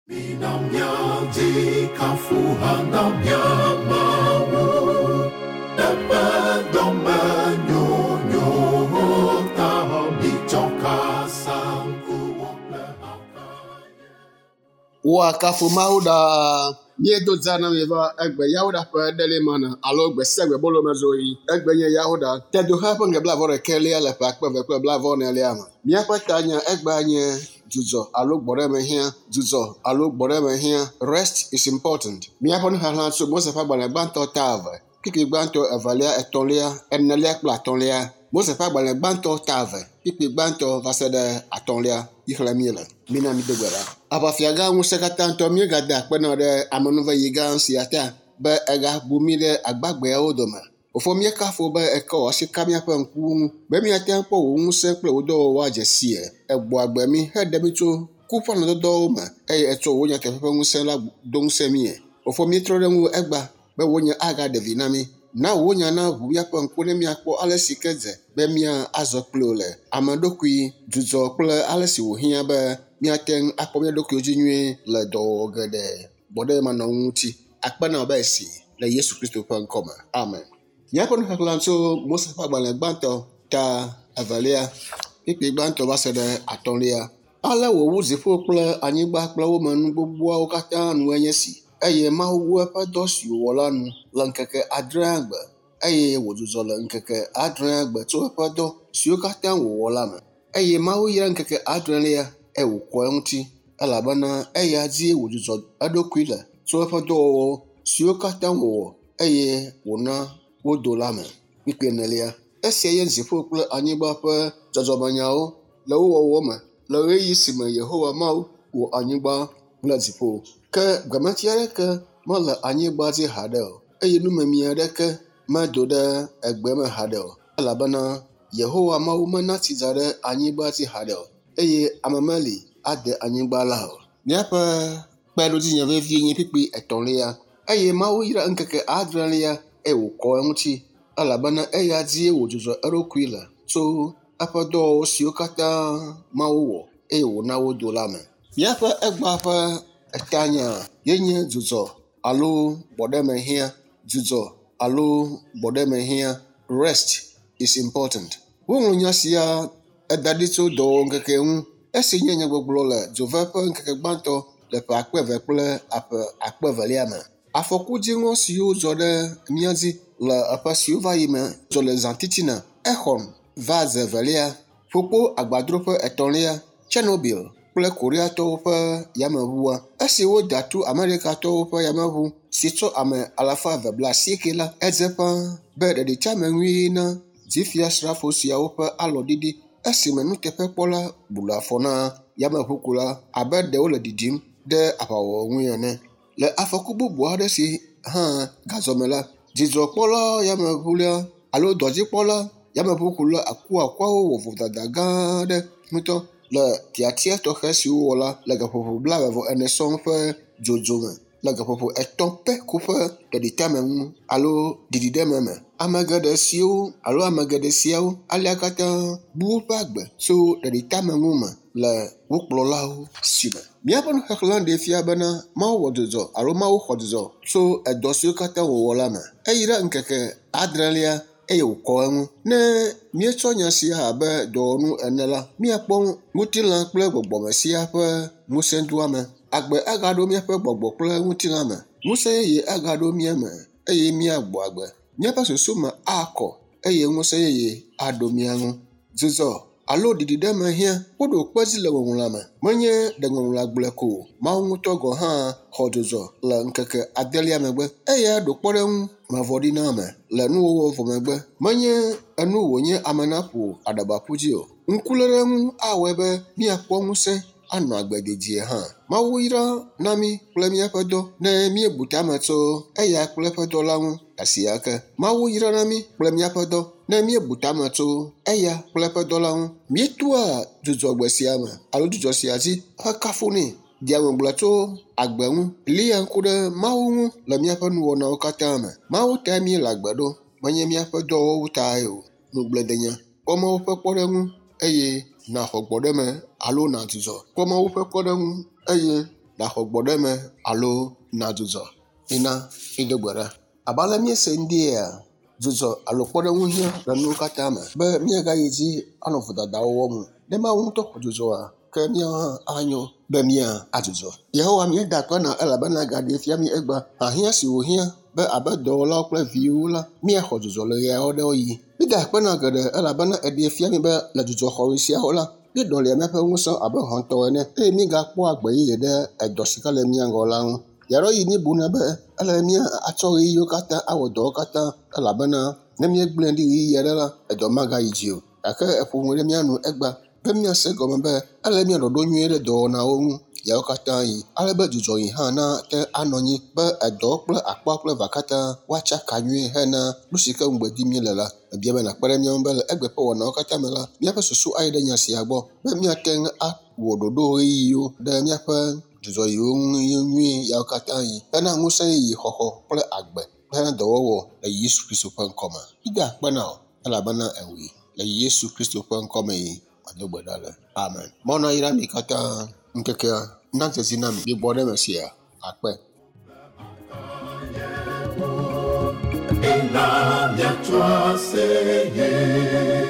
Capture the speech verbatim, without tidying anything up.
Mina míadzi kafuha na mía Mawu, eƒe dɔmenyonyo ta mitsɔ kasaŋkuwo kple akaya. Woakafu Mawu ɖaa. Míedo dza na mi va egbe Yawoɖa ƒe ɖelimana alo gbe sia gbe bolomezɔɣi. Egbe nye Yawoɖa. Tedoxe ƒe ŋge blaeve-vɔ-ɖekɛlia le ƒe akpe eve kple blaeve-vɔ-enelia me. Míaƒe tanya egbea nye dzudzɔ alo gbɔɖeme hiã. Dzudzɔ alo gbɔɖeme hiã. Rest is important. Míaƒe nuxexlẽ tso Mose ƒe agbalẽ gbãtɔ ta eve, kpukpui gbãtɔ, evelia, etɔ̃lia, enelia kple atɔ̃lia. Mose ƒe agbalẽ gbãtɔ ta eve, kpukpui gbãtɔ va se ɖe atɔ̃lia yi xlẽm míele. Mina mído gbe ɖa. Aʋafiagã ŋusẽkatãtɔ míegada akpe na ɖe amenuveɣi gã sia ta be egabu mí ɖe agbagbeawo dome. Fofo míekafu be ekɔ wò asi ka míaƒe ŋkuwo ŋu be míate ŋu akpɔ wò ŋusẽ kple wò dɔwɔwɔ adze sie. Egbɔ agbe mí heɖe mí tso ku ƒe alɔ̃dɔdɔwo me eye etsɔ wò nyateƒe ƒe ŋusẽ la do ŋusẽ míe. Fofo míetrɔ ɖe ŋuwò egbea be wò nya agaɖe vi na mí. Na wò nya naʋu míaƒe ŋku ne míakpɔ ale si ke dze be míazɔ kpli wò le ame ɖokui dzudzɔ kple ale si wòhiã be míate ŋu akpɔ mía ɖokuiwo dzi nyuie le dɔwɔwɔ geɖe gbɔɖemanɔŋu ŋuti. Akpe na wò be esi le Yesu Kristo ƒe ŋkɔme. Amen. Míaƒe nuxexlẽ tso Mose ƒe agbalẽ gbãtɔ ta evelia, kpukpui gbãtɔ va se ɖe atɔ̃lia. Ale wòwu dziƒo kple anyigba kple wo me nu gbogboawo katã nu enye si. Eye Mawu wu eƒe dɔ si wòwɔ la nu le ŋkeke adrea gbe eye wòdzudzɔ le ŋkeke adrea gbe tso eƒe dɔ siwo katã wòwɔ la me. Eye Mawu yra ŋkeke adrelia eye wòkɔ eŋuti elabena eya dzie wòdzudzɔ eɖokui le tso eƒe dɔwɔwɔ siwo katã wòwɔ eye wòna wodo la me. Kpukpui enelia. Esia nye dziƒo kple anyigba ƒe dzɔdzɔmenyawo le wo wɔwɔ me le ɣeyiɣi si me Yehowa Mawu wɔ anyigba kple dziƒo. Ke gbemeti aɖeke mele anyigba dzi haɖe o eye numemi aɖeke medo ɖe egbe me haɖe o elabena Yehowa Mawu mena tsi dza ɖe anyigba dzi haɖe o eye ame meli ade anyigba la o. Míaƒe kpeɖodzinya vevie nye kpukpui etɔ̃lia. Eye Mawu yra ŋkeke adrelia eye wòkɔ eŋuti elabena eya dzie wòdzudzɔ eɖokui le tso eƒe dɔwɔwɔ siwo katã Mawu wɔ eye wòna wodo la me. Míaƒe egbea ƒe etanya ye nye dzudzɔ alo gbɔɖeme hiã. Dzudzɔ alo gbɔɖeme hiã. Rest is important. Woŋlɔ nya sia eda ɖi tso dɔwɔŋkeke ŋu esi nye nyagbɔgblɔ le dzove ƒe ŋkeke gbãtɔ le ƒe akpe eve kple aƒe akpe evelia me. Afɔku dziŋɔ siwo dzɔ ɖe mía dzi le eƒe siwo va yi me dzɔ le zã titina. Exxon va ze evelia, ƒukpo agbadroƒe etɔ̃lia, Chernobyl kple Koreatɔwo ƒe yameʋua. Esi woda tu Amerikatɔwo ƒe yameʋu si tsɔ ame alafa eve bla asieke la, edze ƒãa be ɖeɖiteameŋui na dzifiasrafo siawo ƒe alɔɖiɖi esime nuteƒekpɔla blu afɔ na yameʋukula abe ɖe wole ɖiɖim ɖe aʋawɔwɔ ŋui ene. Le afɔku bubu aɖe si hã gazɔ me la, dzidzɔkpɔla yameʋula alo dɔdzikpɔla yameʋukula akuakuawo wɔ vodada gã aɖe ŋutɔ le tiatia tɔxɛ si wowɔ la le gaƒoƒo blaeve-vɔ-ene sɔŋ ƒe dzodzo me le gaƒoƒo etɔ̃ pɛ ko ƒe ɖeɖiteameŋu alo ɖiɖiɖeme me. Ame geɖe siwo alo ame geɖe siawo alea katã bu woƒe agbe tso ɖeɖiteameŋu me le wo kplɔlawo si me. Míaƒe nuxexlẽ ɖee fia bena Mawu wɔ dzudzɔ alo Mawu xɔ dzudzɔ tso edɔ siwo katã wòwɔ la me. Eyra ŋkeke adrelia eye wòkɔ eŋu. Ne míetsɔ nya sia abe dɔwɔnu ene la, míakpɔ ŋutilã kple gbɔgbɔme sia ƒe ŋusẽdoame. Agbe agaɖo míaƒe gbɔgbɔ kple ŋutilã me. Ŋusẽ yeye agaɖo mía me eye míagbɔ agbe. Míaƒe susu me akɔ eye ŋusẽ yeye aɖo mía ŋu. Dzudzɔ alo ɖiɖiɖeme hiã. Woɖo kpe edzi le ŋɔŋlɔa me. Menye ɖe ŋɔŋlɔa gblɔe ko o. Mawu ŋutɔ gɔ̃ hã xɔ dzudzɔ le ŋkeke adelia megbe. Eya ɖo kpɔɖeŋu mavɔ ɖi na ame le nuwɔwɔ vɔ megbe. Menye enu wònye ame naƒo aɖaba ƒu dzi o. Ŋkuléleŋu awɔe be míakpɔ ŋusẽ anɔ agbe dedie hã. Mawu yra na mí kple míaƒe dɔ ne míebu tame tso eya kple eƒe dɔ la ŋu asia ke. Mawu yra na mí kple míaƒe dɔ ne míebu tame tso eya kple eƒe dɔ la ŋu. Míetoa dzudzɔgbe sia me alo dzudzɔ sia dzi hekafunɛ. Dea ŋugble tso agbe ŋu, lia ŋku ɖe Mawu ŋu le míaƒe nuwɔnawo katã me. Mawu tae míele agbe ɖo, menye míaƒe dɔwɔwɔwo tae o. Nugblẽdenya. Kpɔ Mawu ƒe kpɔɖeŋu eye nàxɔ gbɔɖeme alo nàdzudzɔ. Kpɔ Mawu ƒe kpɔɖeŋu eye Nàxɔ gbɔɖeme alo nàdzudzɔ. Mina mído gbe ɖa. Abe ale míese ŋdia, dzudzɔ alo kpɔɖeŋu hiã le nuwo katã me be míagayi dzi anɔ vodadawo wɔm o. Ne Mawu ŋutɔ xɔ dzudzɔa, ke míawo hã anyo be mía adzudzɔ. Yehowa míeda akpe na elabena gaɖee fia mí egbea hiahiã si wòhiã be abe dɔwɔlawo kple viwo la, míaxɔ dzudzɔ le ɣeawo ɖewo ɣi. Mída akpe na geɖe elabena eɖee fia mí be le dzudzɔxɔɣi siawo la, míeɖɔlia míaƒe ŋusẽ abe hɔ̃tɔ ene eye mígakpɔa gbe yeye ɖe edɔ si ke le mía ŋgɔ la ŋu. Ɣeaɖewoɣi míebuna be ele be míatsɔ ɣeyiɣiwo katã awɔ dɔwo katã elabena ne míegblẽe ɖi ɣeyiɣi aɖe la, edɔ magayi dzi o. Gake eƒo nu ɖe mía nu egbea be míase egɔme be ele be míanɔ ɖoɖo nyuie ɖe dɔwɔnawo ŋu yawo katã yi ale be dzudzɔɣi hã nate anɔ anyi be edɔ kple akpa kple eva katã woatsaka nyuie hena nu si ke ŋugbe dim míele la. Mebia be nàkpe ɖe mía ŋu be le egbe ƒe wɔnawo katã me la, míaƒe susu ayi ɖe nya sia gbɔ be míate ŋu awɔ ɖoɖo ɣeyiɣiwo ɖe míaƒe dzudzɔɣiwo ŋu nyuie yawo katã yi hena ŋusẽ yeye xɔxɔ kple agbe hena dɔwɔwɔ le Yesu Kristo ƒe ŋkɔme. Mída akpe na wò elabena èwɔe le Yesu Kristo ƒe ŋkɔme yi medo gbe ɖa le. Amen. Mawu nayra mi katã ŋkekea nadze dzi na mi. Migbɔ ɖe eme sia. Akpe. Ena miatsoa seye.